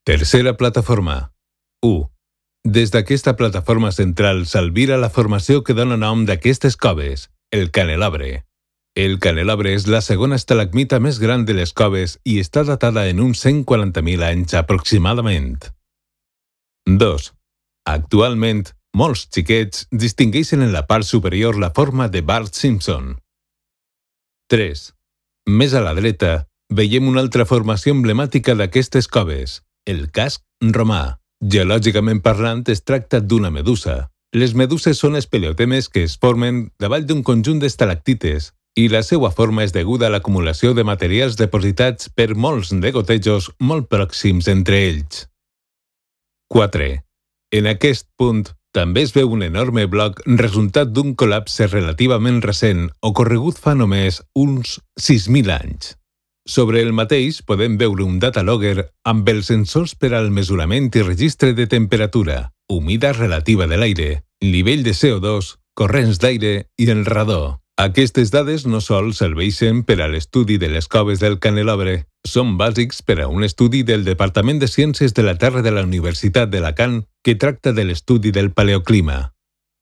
Tercera plataforma. 1. Des d'aquesta plataforma central s'albira la formació que dona nom d'aquestes coves, el Canelabre. El Canelabre és la segona estalagmita més gran de les coves i està datada en uns 140.000 anys aproximadament. 2. Actualment, molts xiquets distingeixen en la part superior la forma de Bart Simpson. 3. Més a la dreta, veiem una altra formació emblemàtica d'aquestes coves, el casc romà. Geològicament parlant, es tracta d'una medusa. Les meduses són espeleotemes que es formen davall d'un conjunt d'estalactites i la seva forma és deguda a l'acumulació de materials depositats per molts degotejos molt pròxims entre ells. 4. En aquest punt també es veu un enorme bloc resultat d'un col·lapse relativament recent ocorregut fa només uns 6.000 anys. Sobre el mateix podem veure un datalogger amb els sensors per al mesurament i registre de temperatura, humitat relativa de l'aire, nivell de CO2, corrents d'aire i el radó. Aquestes dades no sols serveixen per a l'estudi de les coves del Canelabre, són bàsics per a un estudi del Departament de Ciències de la Terra de la Universitat d'Alacant que tracta de l'estudi del paleoclima.